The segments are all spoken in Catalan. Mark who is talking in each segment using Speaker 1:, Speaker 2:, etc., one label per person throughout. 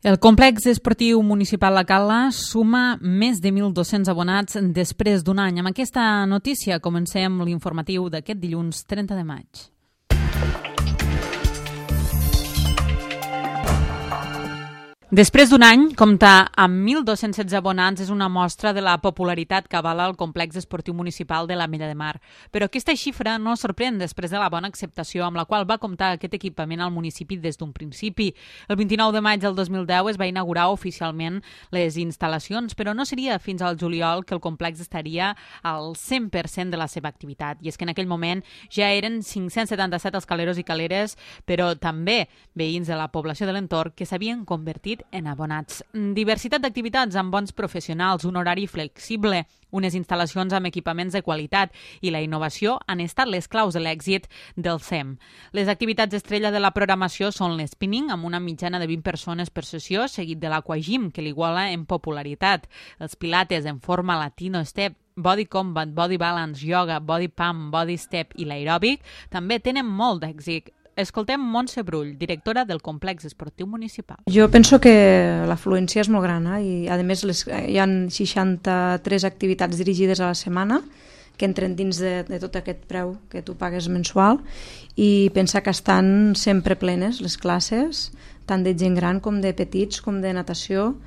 Speaker 1: El complex esportiu municipal La Cala suma més de 1.200 abonats després d'un any. Amb aquesta notícia comencem l'informatiu d'aquest dilluns 30 de maig. Després d'un any, comptar amb 1.216 abonats és una mostra de la popularitat que avala el complex esportiu municipal de l'Ametlla de Mar. Però aquesta xifra no sorprèn després de la bona acceptació amb la qual va comptar aquest equipament al municipi des d'un principi. El 29 de maig del 2010 es va inaugurar oficialment les instal·lacions, però no seria fins al juliol que el complex estaria al 100% de la seva activitat. I és que en aquell moment ja eren 577 els caleros i caleres, però també veïns de la població de l'entorn que s'havien convertit en abonats. Diversitat d'activitats amb bons professionals, un horari flexible, unes instal·lacions amb equipaments de qualitat i la innovació han estat les claus de l'èxit del SEM. Les activitats estrella de la programació són l'spinning, amb una mitjana de 20 persones per sessió, seguit de l'aquagym, que l'iguala en popularitat, els pilates en forma latino step, body combat, body balance, yoga, body pump, body step i l'aeròbic també tenen molt d'èxit. Escoltem Montse Brull, directora del complex esportiu municipal.
Speaker 2: Jo penso que l'afluència és molt gran i a més hi ha 63 activitats dirigides a la setmana que entren dins de tot aquest preu que tu pagues mensual i pensa que estan sempre plenes les classes, tant de gent gran com de petits, com de natació,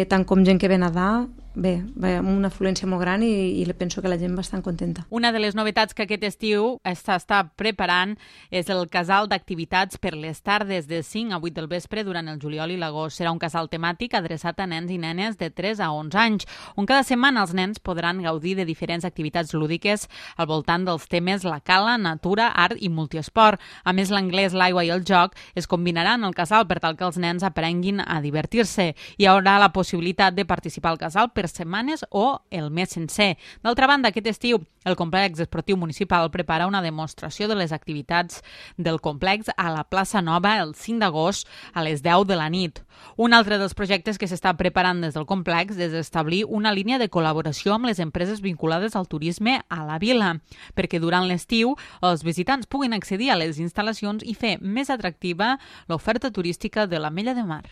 Speaker 2: tant com gent que ve a nedar. Bé, amb una afluència molt gran i penso que la gent va bastant contenta.
Speaker 1: Una de les novetats que aquest estiu s'està preparant és el casal d'activitats per les tardes de 5 a 8 del vespre durant el juliol i l'agost. Serà un casal temàtic adreçat a nens i nenes de 3 a 11 anys, on cada setmana els nens podran gaudir de diferents activitats lúdiques al voltant dels temes la cala, natura, art i multiesport. A més, l'anglès, l'aigua i el joc es combinaran al casal per tal que els nens aprenguin a divertir-se. Hi haurà la possibilitat de participar al casal per setmanes o el mes sencer. D'altra banda, aquest estiu el complex esportiu municipal prepara una demostració de les activitats del complex a la plaça Nova el 5 d'agost a les 10 de la nit. Un altre dels projectes que s'està preparant des del complex és establir una línia de col·laboració amb les empreses vinculades al turisme a la vila, perquè durant l'estiu els visitants puguin accedir a les instal·lacions i fer més atractiva l'oferta turística de l'Ametlla de Mar.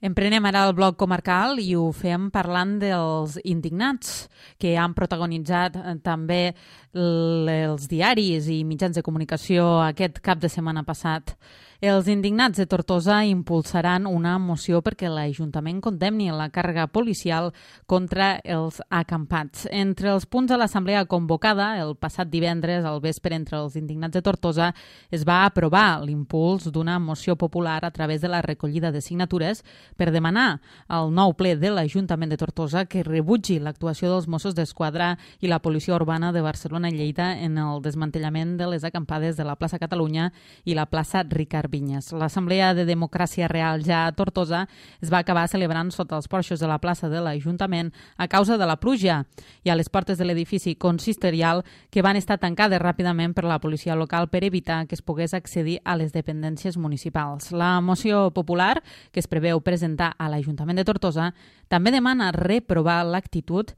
Speaker 1: Emprenem ara el bloc comarcal i ho fem parlant dels indignats que han protagonitzat també els diaris i mitjans de comunicació aquest cap de setmana passat. Els indignats de Tortosa impulsaran una moció perquè l'Ajuntament condemni la càrrega policial contra els acampats. Entre els punts de l'assemblea convocada el passat divendres al vespre entre els indignats de Tortosa es va aprovar l'impuls d'una moció popular a través de la recollida de signatures per demanar al nou ple de l'Ajuntament de Tortosa que rebutgi l'actuació dels Mossos d'Esquadra i la Policia Urbana de Barcelona i Lleida en el desmantellament de les acampades de la plaça Catalunya i la plaça Ricard Vinyes. L'Assemblea de Democràcia Real ja a Tortosa es va acabar celebrant sota els porxos de la plaça de l'Ajuntament a causa de la pluja i a les portes de l'edifici consistorial que van estar tancades ràpidament per la policia local per evitar que es pogués accedir a les dependències municipals. La moció popular, que es preveu presentar a l'Ajuntament de Tortosa, també demana reprovar l'actitud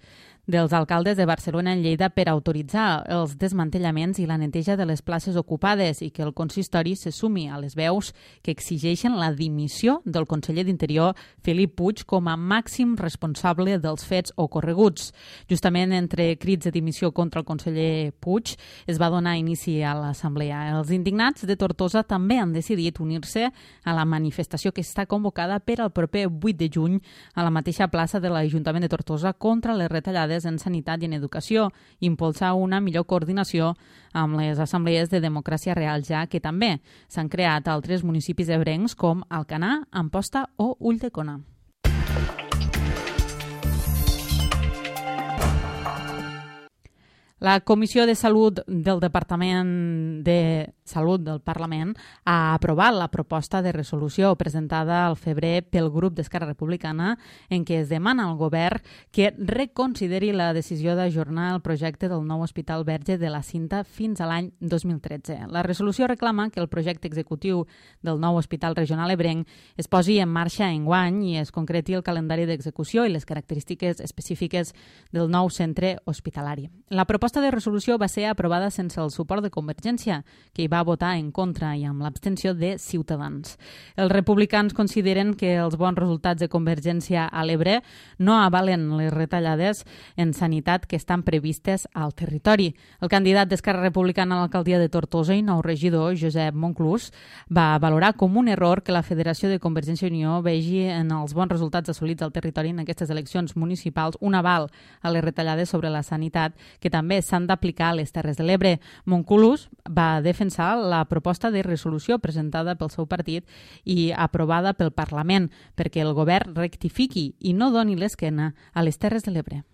Speaker 1: dels alcaldes de Barcelona i Lleida per autoritzar els desmantellaments i la neteja de les places ocupades i que el consistori se sumi a les veus que exigeixen la dimissió del conseller d'Interior, Felip Puig, com a màxim responsable dels fets ocorreguts. Justament entre crits de dimissió contra el conseller Puig es va donar inici a l'assemblea. Els indignats de Tortosa també han decidit unir-se a la manifestació que està convocada per al proper 8 de juny a la mateixa plaça de l'Ajuntament de Tortosa contra les retallades en sanitat i en educació, impulsar una millor coordinació amb les assemblees de Democràcia Real ja que també s'han creat altres municipis ebrencs com Alcanar, Amposta o Ulldecona. La Comissió de Salut del Departament de Salut del Parlament ha aprovat la proposta de resolució presentada al febrer pel grup d'Esquerra Republicana en què es demana al govern que reconsideri la decisió d'ajornar el projecte del nou Hospital Verge de la Cinta fins a l'any 2013. La resolució reclama que el projecte executiu del nou Hospital Regional Ebrenc es posi en marxa enguany i es concreti el calendari d'execució i les característiques específiques del nou centre hospitalari. La proposta proposta de resolució va ser aprovada sense el suport de Convergència, que hi va votar en contra i amb l'abstenció de Ciutadans. Els republicans consideren que els bons resultats de Convergència a l'Ebre no avalen les retallades en sanitat que estan previstes al territori. El candidat d'Esquerra Republicana a l'alcaldia de Tortosa i nou regidor, Josep Monclús, va valorar com un error que la Federació de Convergència i Unió vegi en els bons resultats assolits al territori en aquestes eleccions municipals un aval a les retallades sobre la sanitat que també s'han d'aplicar a les Terres de l'Ebre. Monclús va defensar la proposta de resolució presentada pel seu partit i aprovada pel Parlament perquè el govern rectifiqui i no doni l'esquena a les Terres de l'Ebre.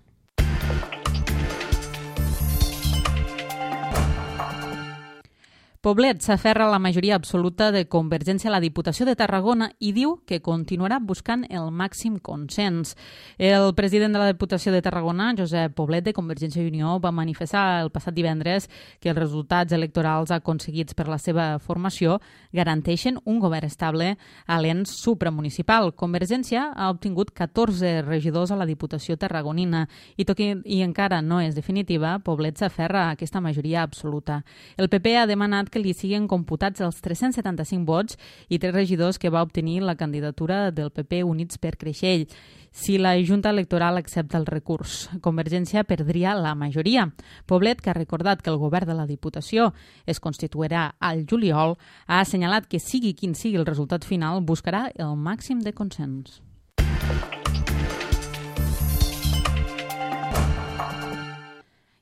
Speaker 1: Poblet s'aferra a la majoria absoluta de Convergència a la Diputació de Tarragona i diu que continuarà buscant el màxim consens. El president de la Diputació de Tarragona, Josep Poblet, de Convergència i Unió, va manifestar el passat divendres que els resultats electorals aconseguits per la seva formació garanteixen un govern estable a l'ens supramunicipal. Convergència ha obtingut 14 regidors a la Diputació tarragonina i tot i encara no és definitiva, Poblet s'aferra a aquesta majoria absoluta. El PP ha demanat que li siguin computats els 375 vots i 3 regidors que va obtenir la candidatura del PP Units per Creixell. Si la Junta Electoral accepta el recurs, Convergència perdria la majoria. Poblet, que ha recordat que el govern de la Diputació es constituirà al juliol, ha assenyalat que sigui quin sigui el resultat final, buscarà el màxim de consens.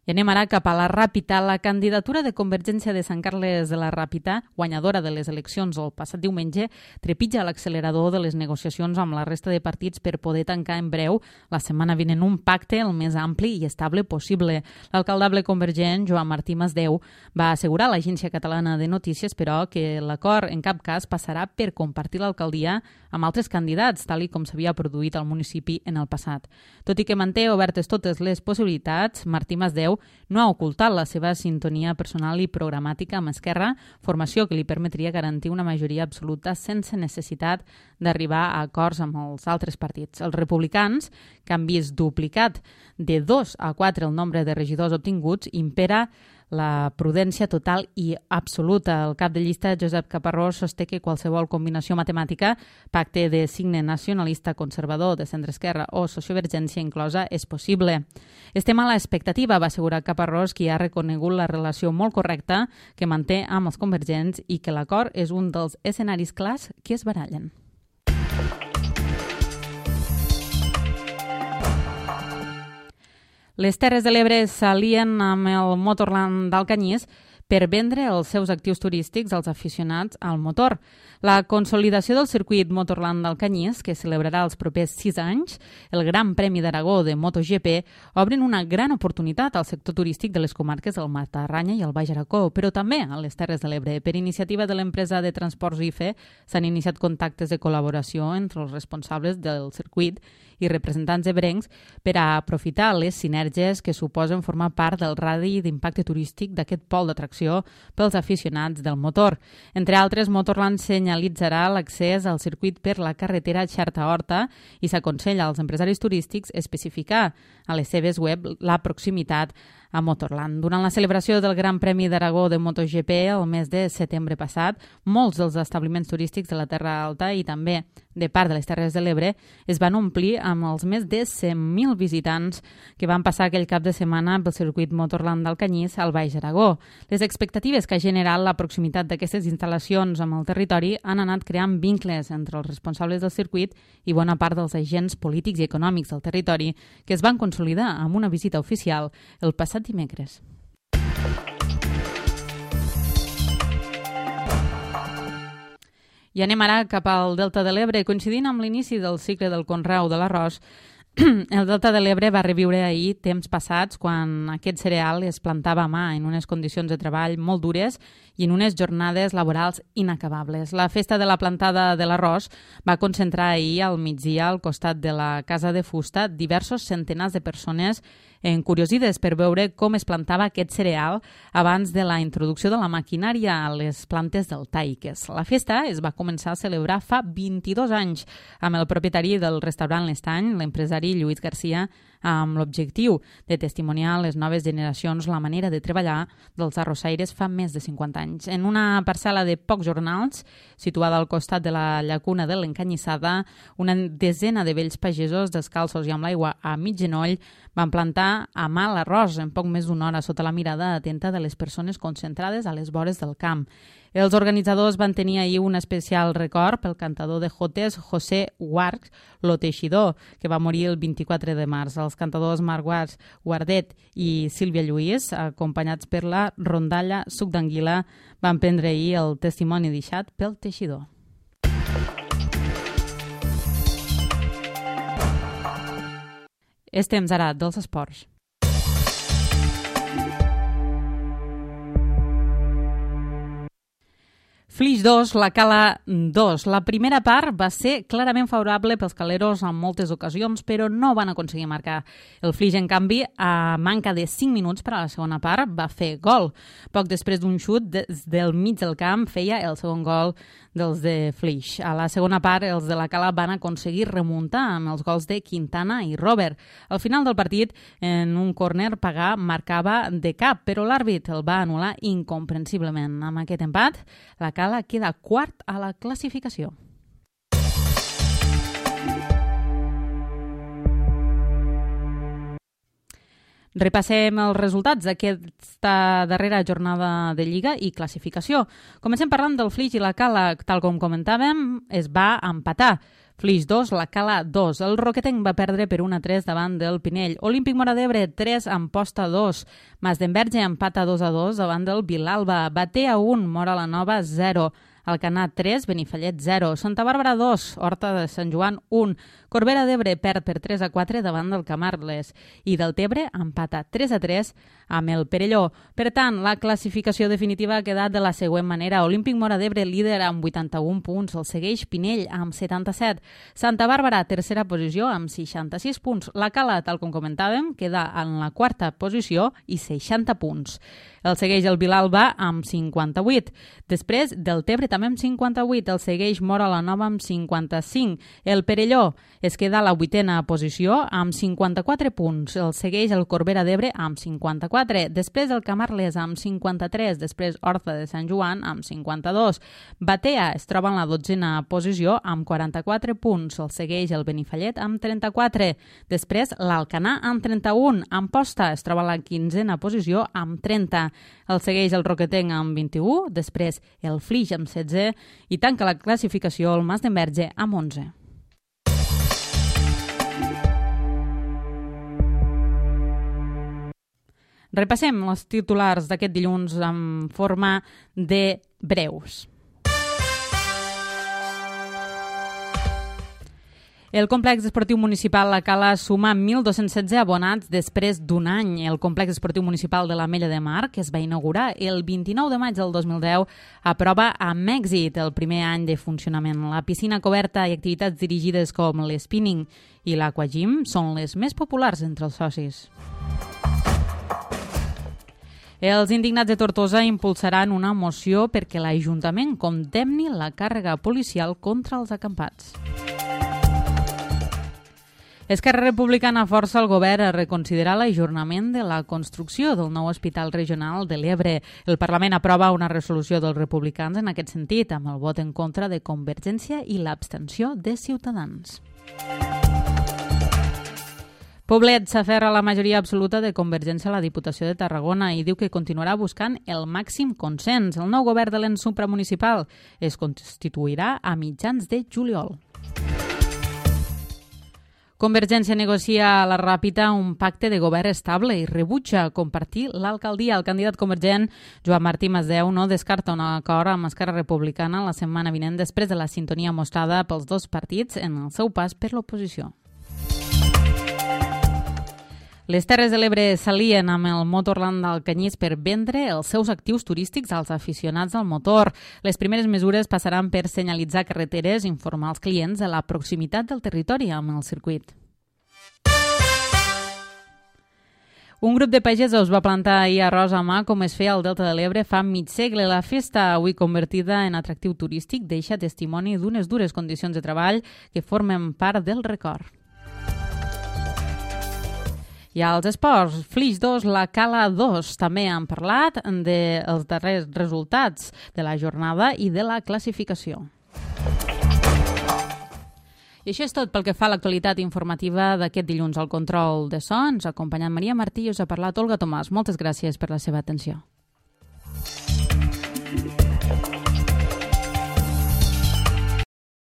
Speaker 1: I anem ara cap a la Ràpita. La candidatura de Convergència de Sant Carles de la Ràpita, guanyadora de les eleccions el passat diumenge, trepitja l'accelerador de les negociacions amb la resta de partits per poder tancar en breu la setmana vinent un pacte el més ampli i estable possible. L'alcaldable convergent, Joan Martí Masdeu, va assegurar a l'Agència Catalana de Notícies, però, que l'acord en cap cas passarà per compartir l'alcaldia amb altres candidats, tal com s'havia produït al municipi en el passat. Tot i que manté obertes totes les possibilitats, Martí Masdeu no ha ocultat la seva sintonia personal i programàtica amb Esquerra, formació que li permetria garantir una majoria absoluta sense necessitat d'arribar a acords amb els altres partits. Els republicans, que han vist duplicat de 2 a 4 el nombre de regidors obtinguts, impera la prudència total i absoluta. El cap de llista, Josep Caparrós, sosté que qualsevol combinació matemàtica, pacte de signe nacionalista conservador, de centre-esquerra o sociovergència inclosa, és possible. Estem a l'expectativa, va assegurar Caparrós, qui ha reconegut la relació molt correcta que manté amb els convergents i que l'acord és un dels escenaris clars que es barallen. Les Terres de l'Ebre s'alien amb el Motorland d'Alcanyís per vendre els seus actius turístics als aficionats al motor. La consolidació del circuit Motorland d'Alcanyís, que celebrarà els propers 6 anys, el Gran Premi d'Aragó de MotoGP, obren una gran oportunitat al sector turístic de les comarques del Matarranya i el Baix Aragó, però també a les Terres de l'Ebre. Per iniciativa de l'empresa de transports IFE s'han iniciat contactes de col·laboració entre els responsables del circuit i representants ebrencs per a aprofitar les sinergies que suposen formar part del radi d'impacte turístic d'aquest pol d'atracció pels aficionats del motor. Entre altres, Motorland senyalitzarà l'accés al circuit per la carretera Xerta-Horta i s'aconsella als empresaris turístics especificar a les seves web la proximitat a Motorland. Durant la celebració del Gran Premi d'Aragó de MotoGP el mes de setembre passat, molts dels establiments turístics de la Terra Alta i també de part de les Terres de l'Ebre es van omplir amb els més de 100.000 visitants que van passar aquell cap de setmana pel circuit Motorland d'Alcanyís al Baix Aragó. Les expectatives que ha generat la proximitat d'aquestes instal·lacions amb el territori han anat creant vincles entre els responsables del circuit i bona part dels agents polítics i econòmics del territori que es van consolidar amb una visita oficial el passat dimecres. I anem ara cap al Delta de l'Ebre. Coincidint amb l'inici del cicle del conreu de l'arròs, el Delta de l'Ebre va reviure ahir temps passats quan aquest cereal es plantava a mà en unes condicions de treball molt dures i en unes jornades laborals inacabables. La festa de la plantada de l'arròs va concentrar ahir al migdia al costat de la Casa de Fusta diversos centenars de persones encuriosides per veure com es plantava aquest cereal abans de la introducció de la maquinària a les plantes deltaiques. La festa es va començar a celebrar fa 22 anys amb el propietari del restaurant L'Estany, l'empresari Lluís Garcia, amb l'objectiu de testimoniar a les noves generacions la manera de treballar dels arrossaires fa més de 50 anys. En una parcel·la de pocs jornals, situada al costat de la llacuna de l'Encanyissada, una desena de vells pagesos descalços i amb l'aigua a mig genoll van plantar a mà l'arròs en poc més d'una hora sota la mirada atenta de les persones concentrades a les vores del camp. Els organitzadors van tenir ahir un especial record pel cantador de jotes José Guarch, lo Teixidor, que va morir el 24 de març. Els cantadors Marc Guardet i Sílvia Lluís, acompanyats per la rondalla Suc d'Anguila, van prendre ahir el testimoni deixat pel Teixidor. És temps ara dels esports. Flix 2, la Cala 2. La primera part va ser clarament favorable pels caleros en moltes ocasions, però no van aconseguir marcar. El Flix, en canvi, a manca de 5 minuts per a la segona part, va fer gol. Poc després d'un xut des del mig del camp feia el segon gol dels de Flix. A la segona part, els de la Cala van aconseguir remuntar amb els gols de Quintana i Robert. Al final del partit, en un córner, Pagà marcava de cap, però l'àrbit el va anul·lar incomprensiblement. Amb aquest empat, la Cala queda quart a la classificació. Repassem els resultats d'aquesta darrera jornada de Lliga i classificació. Comencem parlant del Flix i la Cala. Tal com comentàvem, es va empatar. Flix 2, la Cala 2. El Roquetenc va perdre per 1-3 davant del Pinell. Olímpic Móra d'Ebre 3, Amposta 2. Mas d'Enverge empata 2-2 davant del Vilalba. Batea 1, Móra la Nova 0. Alcanar 3, Benifallet 0. Santa Bàrbara 2, Horta de Sant Joan 1. Corbera d'Ebre perd per 3-4 davant del Camarles. I del Tebre empata 3-3 amb el Perelló. Per tant, la classificació definitiva ha quedat de la següent manera. Olímpic Móra d'Ebre líder amb 81 punts. El segueix Pinell amb 77. Santa Bàrbara, tercera posició amb 66 punts. La Cala, tal com comentàvem, queda en la quarta posició i 60 punts. El segueix el Vilalba amb 58. Després del Tebre també amb 58. El segueix Móra la Nova amb 55. El Perelló es queda a la vuitena posició amb 54 punts. El segueix el Corbera d'Ebre amb 54. Després el Camarles amb 53. Després Horta de Sant Joan amb 52. Batea es troba en la dotzena posició amb 44 punts. El segueix el Benifallet amb 34. Després l'Alcanar amb 31. Amposta es troba a la quinzena posició amb 30. El segueix el Roquetenc amb 21. Després el Flix amb 16. I tanca la classificació el Mas d'Enverge amb 11. Repassem els titulars d'aquest dilluns en forma de breus. El complex esportiu municipal La Cala suma 1.216 abonats després d'un any. El complex esportiu municipal de l'Ametlla de Mar, que es va inaugurar el 29 de maig del 2010, aprova amb èxit el primer any de funcionament. La piscina coberta i activitats dirigides com l'spinning i l'aquagym són les més populars entre els socis. Els indignats de Tortosa impulsaran una moció perquè l'Ajuntament condemni la càrrega policial contra els acampats. Esquerra Republicana força el govern a reconsiderar l'ajornament de la construcció del nou hospital regional de l'Ebre. El Parlament aprova una resolució dels republicans en aquest sentit, amb el vot en contra de Convergència i l'abstenció de Ciutadans. Poblet s'aferra a la majoria absoluta de Convergència a la Diputació de Tarragona i diu que continuarà buscant el màxim consens. El nou govern de l'ens supramunicipal es constituirà a mitjans de juliol. Convergència negocia a la Ràpita un pacte de govern estable i rebutja compartir l'alcaldia. El candidat convergent, Joan Martí Masdeu, no descarta un acord amb Esquerra Republicana la setmana vinent després de la sintonia mostrada pels dos partits en el seu pas per l'oposició. Les Terres de l'Ebre s'alien amb el Motorland d'Alcanyís per vendre els seus actius turístics als aficionats al motor. Les primeres mesures passaran per senyalitzar carreteres i informar els clients de la proximitat del territori amb el circuit. Un grup de pagesos va plantar ahir arròs a mà com es feia al Delta de l'Ebre fa mig segle. La festa, avui convertida en atractiu turístic, deixa testimoni d'unes dures condicions de treball que formen part del record. I als esports, Flix 2, la Cala 2, també han parlat dels darrers resultats de la jornada i de la classificació. I això és tot pel que fa a l'actualitat informativa d'aquest dilluns al control de sons. Acompanyant Maria Martí, us ha parlat Olga Tomàs. Moltes gràcies per la seva atenció.